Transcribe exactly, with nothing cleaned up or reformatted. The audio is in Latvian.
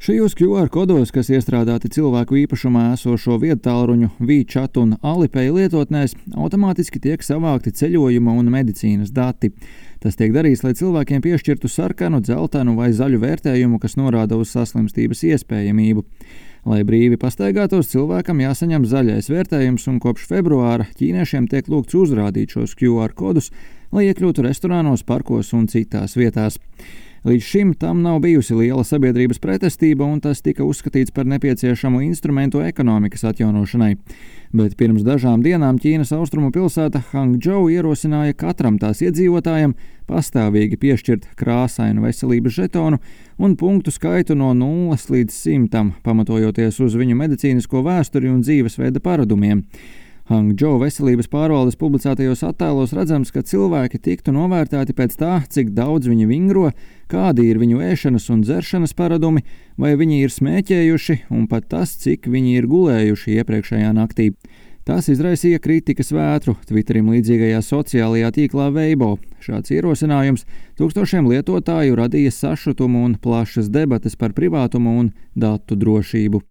Šajos Q R kodos, kas iestrādāti cilvēku īpašumā esošo viedtālruņu, WeChat un Alipay lietotnēs, automātiski tiek savākti ceļojuma un medicīnas dati. Tas tiek darīts, lai cilvēkiem piešķirtu sarkanu, dzeltenu vai zaļu vērtējumu, kas norāda uz saslimstības iespējamību. Lai brīvi pastaigātos, cilvēkam jāsaņem zaļais vērtējums, un kopš februāra ķīniešiem tiek lūgts uzrādīt šos Q R kodus, lai iekļūtu restorānos, parkos un citās vietās. Līdz šim tam nav bijusi liela sabiedrības pretestība, un tas tika uzskatīts par nepieciešamu instrumentu ekonomikas atjaunošanai. Bet pirms dažām dienām Ķīnas austrumu pilsēta Hangdžou ierosināja katram tās iedzīvotājam pastāvīgi piešķirt krāsainu veselības žetonu un punktu skaitu no nulles līdz simtam, pamatojoties uz viņu medicīnisko vēsturi un dzīvesveida paradumiem. Hangdžou veselības pārvaldes publicētajos attēlos redzams, ka cilvēki tiktu novērtēti pēc tā, cik daudz viņi vingro, kādi ir viņu ēšanas un dzeršanas paradumi, vai viņi ir smēķējuši, un pat tas, cik viņi ir gulējuši iepriekšējā naktī. Tas izraisīja kritikas vētru Twitterim līdzīgajā sociālajā tīklā Weibo. Šāds ierosinājums tūkstošiem lietotāju radīja sašutumu un plašas debates par privātumu un datu drošību.